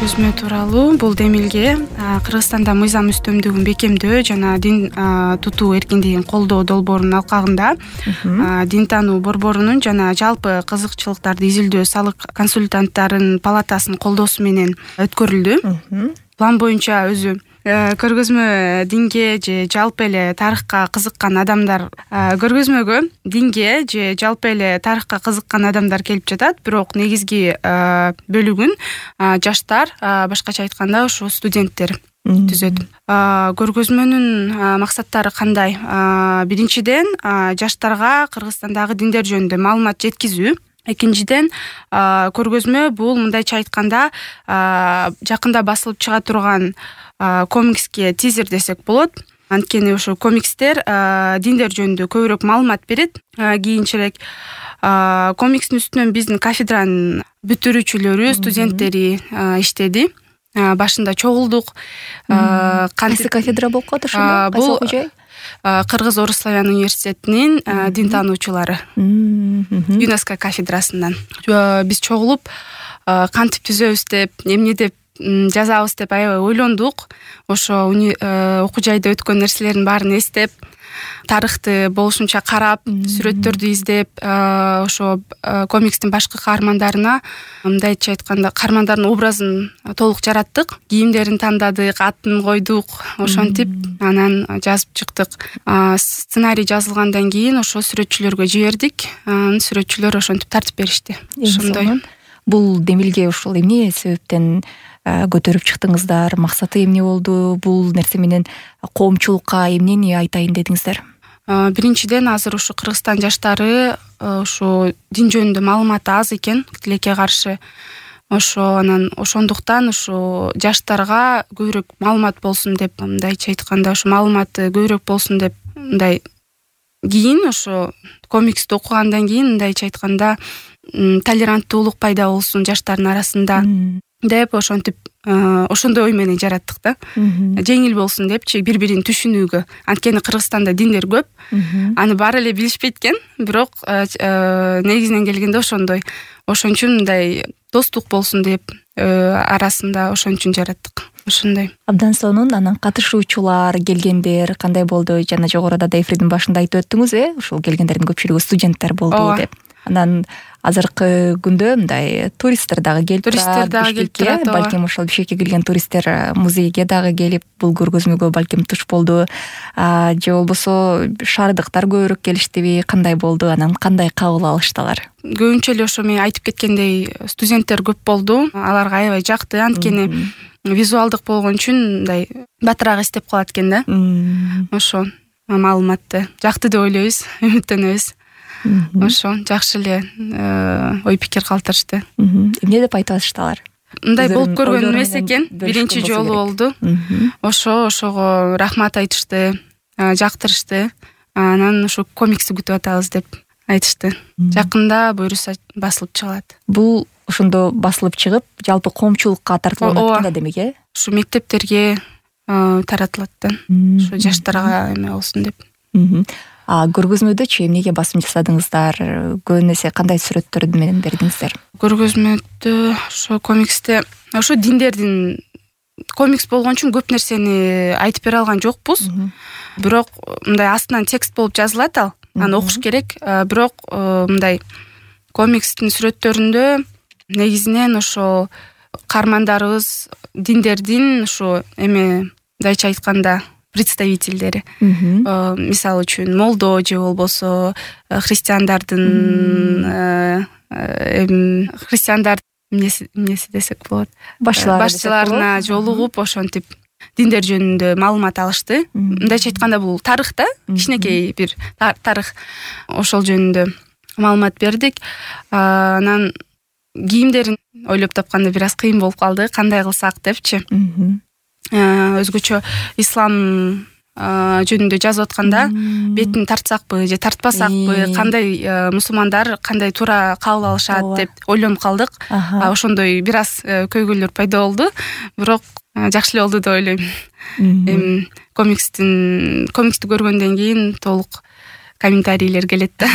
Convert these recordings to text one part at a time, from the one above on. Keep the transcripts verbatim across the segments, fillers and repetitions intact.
Көргөзмө тууралуу бул демилге Кыргызстанда мыйзам үстөмдүгүн бекемдөө жана дин тутуу эркиндигин колдоо долбоорунун алкагында дин таануу борборунун жана жалпы кызыкчылыктарды изилдөө салык консультанттарынын палатасынын колдоосу менен өткөрүлдү. План боюнча өзү көргөзмө динге же жалпы эле тарыхка кызыккан адамдар көргөзмөгө динге же жалпы эле тарыхка кызыккан адамдар келип жатат, бирок негизги бөлүгүн жаштар, башкача айтканда ошо студенттер түзөт. Көргөзмөнүн максаттары кандай? Биринчиден, жаштарга Кыргызстандагы диндер жөнүндө маалымат жеткизүү. Экинчиден, көргөзмө бул мындайча айтканда жакында басылып чыга турган комикске тизер десек болот. Анткени ошо комикстер диндер жөнүндө көбүрөөк маалымат берет. Кийинчерээк комикстин үстүнөн биздин кафедранын бүтүрүүчүлөрү, студенттери иштеди. Башында чогулдук. Кайсы кафедра болуп калат ошондо? Кайсы окуу жай? Кыргыз Орус славян университетинин дин таануучулары ЮНЕСКО кафедрасынан биз чогулуп кантип түзөбүз деп, эмне деп жазабыз деп аябай ойлондук. Ошо окуу жайда өткөн нерселердин баарын эстеп, тарыхты болушунча карап, сүрөттөрдү издеп, ошо комикстин башкы каармандарына, мындайча айтканда, каармандардын образын толук жараттык, кийимдерин тандадык, атын койдук, ошентип анан жазып чыктык. Сценарий жазылгандан кийин ошо сүрөтчүлөргө жибердик. Анан сүрөтчүлөр ошентип тартип беришти. Ошондой. Бул демилге ушул эмне себептен көтөрүп чыктыңыздар? Максаты эмне болду? Бул нерсе менен коомчулукка эмнени айтайын дедиңиздер? Биринчиден, азыр ушу Кыргызстан жаштары ушу дин жөнүндө маалыматы аз экен, тилекке каршы. Ошо анан ошондуктан ушу жаштарга көбүрөөк маалымат болсун деп, мындайча айтканда, ушу маалыматы көбүрөөк болсун деп, мындай кийин ошо комиксти окугандан кийин мындайча айтканда толеранттуулук пайда болсун жаштардын арасында деп ошентип ошондой ой менен жараттык да. Жеңил болсун депчи, бири-бирин түшүнүүгө. Анткени Кыргызстанда диндер көп. Аны баары эле билишпейт экен, бирок негизинен келгенде ошондой. Ошон үчүн мындай достук болсун деп арасында ошон үчүн жараттык. Ошондой. Абдан сонун. Анан катышуучулар, келгендер кандай болду? Жана жогоруда да эфирдин башында айтып өттүңүз, э, ушул келгендердин көпчүлүгү студенттер болду деп. Анан азыркы күндө мындай туристтер дагы келип туристтер дагы келип турат. Балким ошол Бишкекке келген туристтер музейге дагы келип бул көргөзмөгө балким туш болду. Же болбосо шаардыктар көбүрөөк келиштиби? Кандай болду? Анан кандай кабыл алышты алар? Көбүнчө эле ошо мен айтып кеткендей студенттер көп болду. Аларга аябай жакты, анткени визуалдык болгон үчүн мындай батыраак эстеп калат экен да. Ошо маалыматты жакты деп ойлойбуз, үмүттөнөбүз. Ошо жакшы эле ой пикир калтырышты. Эмне деп айтып атышты алар? Мындай болуп көргөн эмес экен, биринчи жолу болду. Ошо ошого рахмат айтышты, жактырышты. Анан ошо комиксти күтүп атабыз деп айтышты. Жакында буюрса басылып чыгат. Бул ошондо басылып чыгып, жалпы коомчулукка тартылат экен да, демек, э? Ушу мектептерге таратылат да. Ушу жаштарга эме болсун деп. А көргөзмөдөчү эмнеге басым жасадыңыздар? Көбүн эсе кандай сүрөттөр менен бердиңиздер? Көргөзмөдө ошо комиксте ошо диндердин комикс болгон үчүн көп нерсени айтып бере алган жокпуз. Бирок мындай астынан текст болуп жазылат ал. Аны окуш керек. Бирок мындай комикстин сүрөттөрүндө негизинен ошо каармандарыбыз диндердин ошо эме мындайча айтканда представительдери. Мисалы үчүн молдо же болбосо христиандардын христиандар эмнеси десек болот. Башчыларына жолугуп ошентип диндер жөнүндө маалымат алышты. Мындайча айтканда бул тарых да, кичинекей бир тарых. Ошол жөнүндө маалымат бердик. Анан кийимдерин ойлоп тапканда бир аз кыйын болуп калды, кандай кылсак депчи. Өзгөчө ислам жөнүндө жазып атканда бетин тартсакпы же тартпасакпы, кандай мусулмандар кандай туура кабыл алышат деп ойлонуп калдык. Ошондой бир аз көйгөйлөр пайда болду, бирок жакшы эле болду деп ойлойм. Эми комикстин комиксти көргөндөн кийин толук комментарийлер келет да.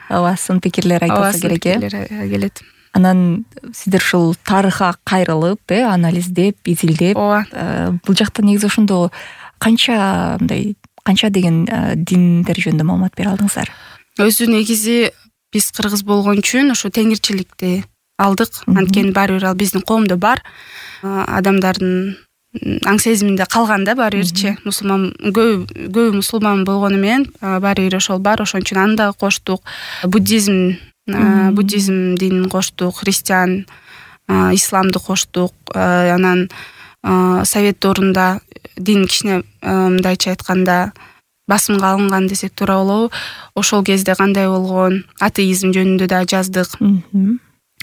Ооба, сын пикирлер айтылса керек, э? Келет. Анан сиздер ушул тарыхка кайрылып, э анализдеп, изилдеп, бул жакта негизи ошондо канча мындай канча деген диндер жөнүндө маалымат бере алдыңыздар? Өзү негизи биз кыргыз болгон үчүн ошо теңирчиликти алдык. Анткени баары бир ал биздин коомдо бар. Адамдардын аң сезиминде калган да баары бирчи. Мусулман көп көбү мусулман болгону менен баары бир ошол бар. Ошон үчүн аны дагы коштук. Буддизм буддизм динин коштук, христиан, исламды коштук. Анан совет доорунда дин кичине мындайча айтканда басымга алынган десек туура болобу. Ошол кезде кандай болгон, атеизм жөнүндө да жаздык.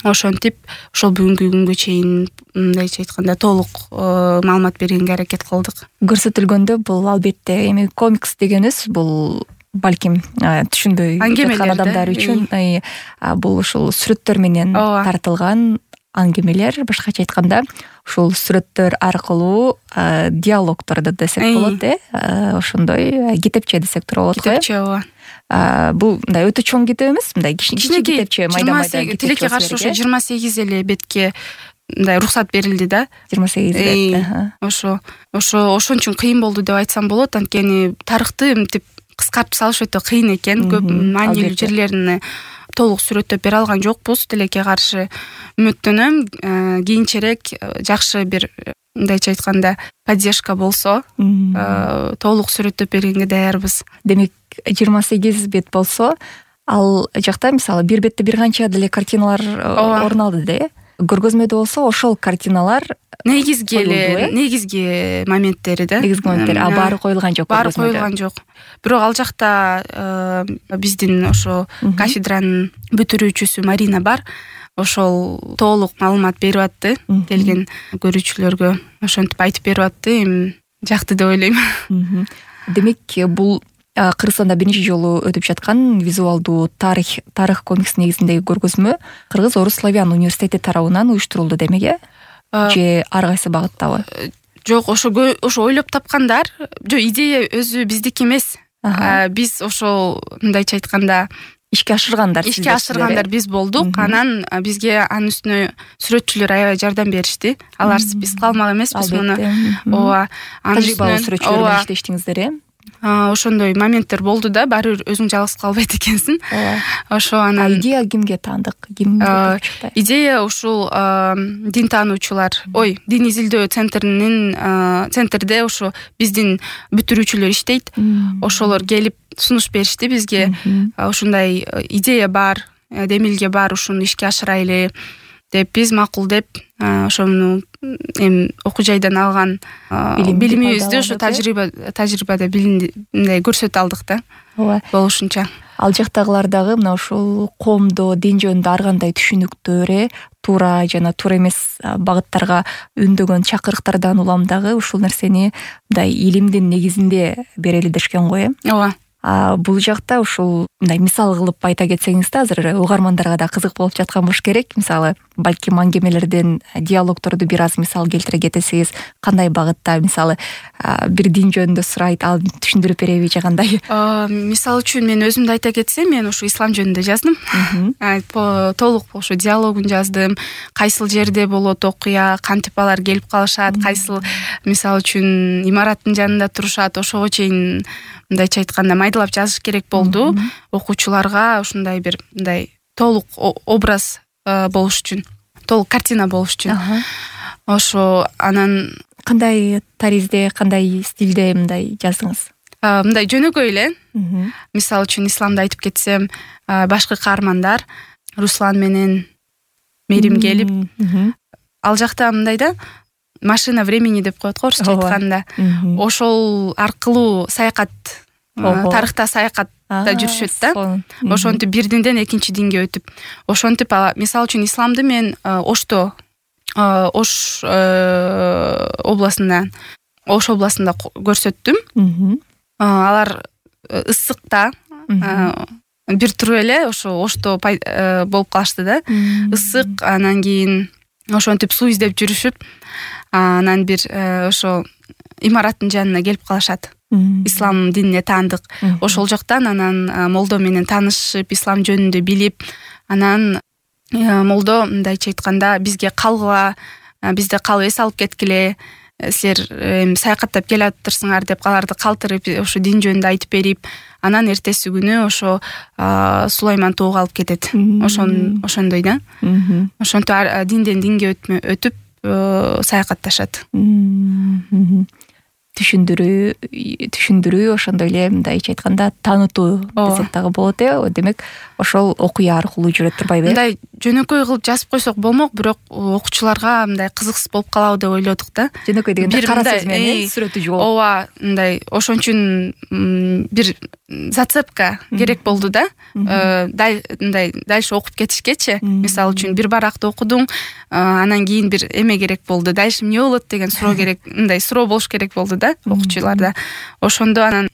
Ошентип ошол бүгүнкү күнгө чейин мындайча айтканда толук маалымат бергенге аракет кылдык. Көрсөтүлгөндө бул албетте эми комикс дегенибиз бул балким түшүнбөй жаткан адамдар үчүн бул ушул сүрөттөр менен тартылган аңгемелер, башкача айтканда ушул сүрөттөр аркылуу диалогторду десек болот, э ошондой китепче десек туура болот го. Китепче ооба. Бул мындай өтө чоң китеп эмес, мындай кичине китепче, майда-майда китепче. Тилекке каршы ошо жыйырма сегиз эле бетке мындай уруксат берилди да. жыйырма сегиз бет. Ошо ошо ошон үчүн кыйын болду деп айтсам болот, анткени тарыхты мынтип кыскартып салыш өтө кыйын экен. Көп маанилүү жерлерине толук сүрөттөп бере алган жокпуз. Тилекке каршы үмүттөнөм, кийинчерээк жакшы бир мындайча айтканда поддержка болсо, толук сүрөттөп бергенге даярбыз. Демек жыйырма сегиз бет болсо, ал жакта мисалы бир бетте бир канча деле картиналар орун алды да, э? Көргөзмөдө болсо ошол картиналар негизги эле негизги моменттери да. Негизги моменттери, а баары коюлган жок. Баары коюлган жок. Бирок ал жакта биздин ошо кафедранын бүтүрүүчүсү Марина бар. Ошол толук маалымат берип атты келген көрүүчүлөргө. Ошентип айтып берип атты. Эми жакты деп ойлойм. Демек бул Кыргызстанда биринчи жолу өтүп жаткан визуалдуу тарых тарых комикс негизиндеги көргөзмө Кыргыз Орус Славян университети тарабынан уюштурулду демек, э? Же ар кайсы багыттабы? Жок, ошо ошо ойлоп тапкандар. Жок, идея өзү биздики эмес. Биз ошол мындайча айтканда ишке ашыргандар, ишке ашыргандар биз болдук. Анан бизге анын үстүнө сүрөтчүлөр аябай жардам беришти. Алар биз калмак эмеспиз муну. Ооба, анын үстүнө сүрөтчүлөр менен иштештиңиздер, э? Ошондой моменттер болду да, баары бир өзүң жалгыз калбайт экенсиң. Ошо анан идея кимге таандык? Ким чыкты? Идея ушул дин таануучулар, ой, дин изилдөө центринин центрде ошо биздин бүтүрүүчүлөр иштейт. Ошолор келип сунуш беришти бизге. Ушундай идея бар, демилге бар, ушуну ишке ашырайлы деп биз макул деп ошону эми окуу жайдан алган билимибизди ошо тажрыйба тажрыйбада мындай көрсөтө алдык да. Ооба. Болушунча. Ал жактагылар дагы мына ушул коомдо дин жөнүндө ар кандай түшүнүктөр, туура жана туура эмес багыттарга үндөгөн чакырыктардан улам дагы ушул нерсени мындай илимдин негизинде берели дешкен го, э? Ооба. А бул жакта ушул мындай мисал кылып айта кетсеңиз да, азыр угармандарга да кызык болуп жаткан болуш керек. Мисалы, балким аңгемелерден диалогторду бир аз мисал келтире кетесиз. Кандай багытта, мисалы, бир дин жөнүндө сурайт, ал түшүндүрүп береби же кандай? Мисал үчүн мен өзүмдү айта кетсем, мен ушу ислам жөнүндө жаздым. Толук ошо диалогун жаздым. Кайсыл жерде болот окуя, кантип алар келип калышат, кайсыл мисал үчүн имараттын жанында турушат, ошого чейин мындайча айтканда майдалап жазыш керек болду. Окуучуларга ушундай бир мындай толук образ болуш үчүн, толук картина болуш үчүн. Ошо анан кандай таризде, кандай стилде мындай жаздыңыз? Мындай жөнөкөй эле. Мисал үчүн исламды айтып кетсем, башкы каармандар Руслан менен Мерим келип, ал жакта мындай да, машина времени деп коет го орусча айтканда. Ошол аркылуу саякат, тарыхта саякатта жүрүшөт да. Ошентип бир динден экинчи динге өтүп. Ошентип мисал үчүн исламды мен Ошто, Ош областында, Ош областында көрсөттүм. Алар ысыкта бир туруп эле ошо Ошто болуп калышты да. Ысык, анан кийин ошентип суу издеп жүрүшүп, анан бир ошо имараттын жанына келип калышат. Ислам динине таандык. Ошол жактан анан молдо менен таанышып, ислам жөнүндө билип, анан молдо мындайча айтканда бизге калгыла, бизде калып эс алып кеткиле, силер саякаттап келатырсыңар деп аларды калтырып ошо дин жөнүндө айтып берип, анан эртеси күнү ошо Сулайман тоого алып кетет. Ошон ошондой да. Ошонтип динден динге өтүп саякатташат. Түшүндүрүү түшүндүрүү ошондой эле мындайча айтканда таанытуу десек дагы болот э. Демек ошол окуя аркылуу жүрөт турбайбы? Мындай жөнөкөй кылып жазып койсок болмок, бирок окуучуларга мындай кызыксыз болуп калабы деп ойлодук да. Жөнөкөй дегенде кара сөз менен сүрөтү жок. Ооба, мындай ошон үчүн бир зацепка керек болду да. Мындай дальше окуп кетишкечи, мисалы үчүн бир баракты окудуң, анан кийин бир эме керек болду. Дальше эмне болот деген суроо керек, мындай суроо болуш керек болду да окуучуларда. Ошондо анан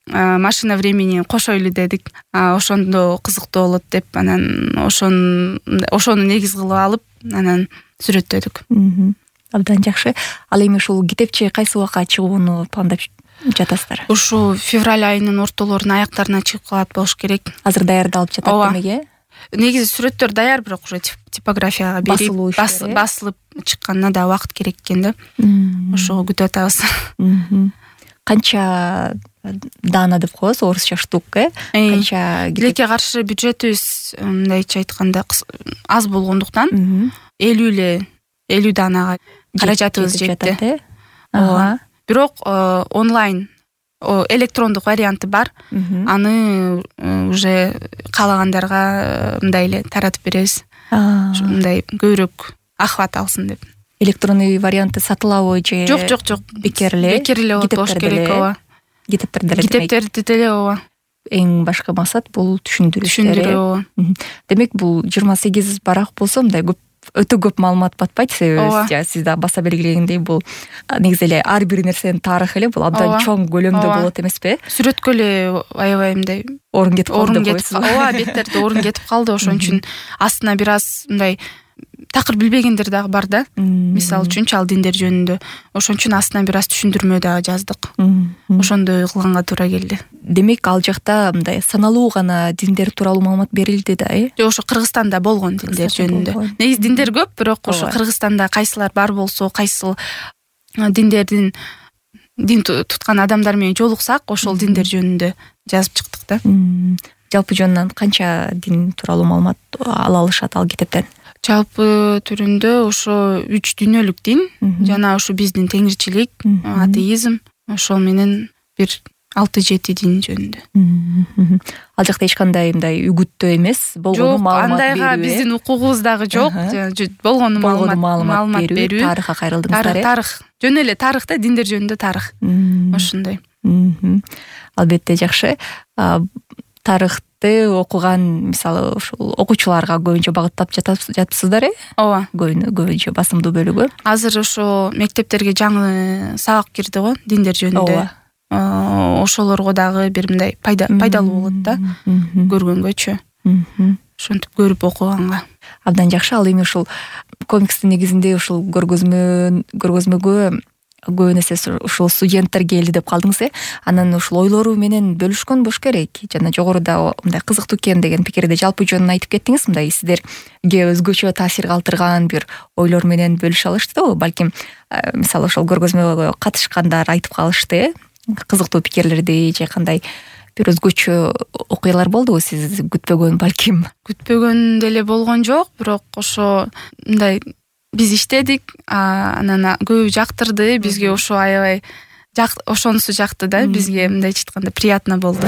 машина времени кошойлу дедик. Ошондо кызыктуу болот деп, анан ошон ошону негиз кылып алып, анан сүрөттөдүк. Абдан жакшы. Ал эми ушул китепче кайсы убакка чыгууну пландап жатасыздар? Ушу февраль айынын ортолорунун аяктарына чыгып калат болуш керек. Азыр даярдалып жатат демек э? Негизи сүрөттөр даяр, бирок уже типографияга берип басылып чыкканына да убакыт керек экен да. Ошого күтүп атабыз. Канча даана деп коебуз, орусча штук э? Канча тилекке каршы бюджетибиз мындайча айтканда аз болгондуктан элүү эле элүү даанага каражатыбыз жетти. Ооба. Бирок онлайн электрондук варианты бар. Аны уже каалагандарга мындай эле таратып беребиз. Мындай көбүрөөк ахват алсын деп. Электронный варианты сатылабы же? Жок, жок, жок. Бекер эле. Бекер эле болуш керек, ооба. Китептерде эле. Китептерде деле, ооба. Эң башкы максат бул түшүндүрүү. Түшүндүрүү, ооба. Демек бул жыйырма сегиз барак болсо, мындай көп өтө көп маалымат батпайт, себеби сиз да баса белгилегендей бул негизи эле ар бир нерсенин тарыхы эле бул абдан чоң көлөмдө болот эмеспи? Сүрөткө эле аябай мындай орун кетип калды деп койсуз. Ооба, беттерде орун кетип калды, ошон үчүн астына бир аз мындай такыр билбегендер дагы бар да. Мисалы үчүн чал диндер жөнүндө. Ошон үчүн астына бир аз түшүндүрмө дагы жаздык. Ошондой кылганга туура келди. Демек ал жакта мындай саналуу гана диндер тууралуу маалымат берилди да, э? Жок, ошо Кыргызстанда болгон диндер жөнүндө. Негизи диндер көп, бирок ошо Кыргызстанда кайсылар бар болсо, кайсыл диндердин дин туткан адамдар менен жолуксак, ошол диндер жөнүндө жазып чыктык да. Жалпы жөнүнөн канча дин тууралуу маалымат ала алышат ал китептен? Жалпы түрүндө ошо үч дүйнөлүк дин, жана ошо биздин теңирчилик, атеизм, ошол менен бир алты жети дин жөнүндө. Ал жакта эч кандай мындай үгүттөө эмес, болгону маалымат берүү. Жок, андайга биздин укугубуз дагы жок. Болгону маалымат берүү, тарыхка кайрылдыңыздар э? Тарых, жөн эле тарых да, диндер жөнүндө тарых. Ошондой. Албетте жакшы. Тарыхты окуган, мисалы, ушул окуучуларга көбүнчө багыттап жатыпсыздар э? Ооба. Көбүнчө басымдуу бөлүгү. Азыр ошо мектептерге жаңы сабак кирди го, диндер жөнүндө. Ошолорго дагы бир мындай пайдалуу болот да, көргөнгөчү. Ошентип көрүп окуганга. Абдан жакшы. Ал эми ушул комикстин негизинде ушул көргөзмө көргөзмөгө көбүн эсе ушул студенттер келди деп калдыңыз э? Анан ушул ойлору менен бөлүшкөн болуш керек. Жана жогоруда мындай кызыктуу экен деген пикирди жалпы жөнүн айтып кеттиңиз. Мындай сиздерге өзгөчө таасир калтырган бир ойлор менен бөлүшө алыштыбы? Балким мисалы ошол көргөзмөгө катышкандар айтып калышты э? Кызыктуу пикирлерди же кандай бир өзгөчө окуялар болдубу сиз күтпөгөн, балким? Күтпөгөн деле болгон жок, бирок ошо мындай биз иштедик, анан көбү жактырды, бизге ошо аябай ошонусу жакты да, бизге мындайча айтканда приятно болду.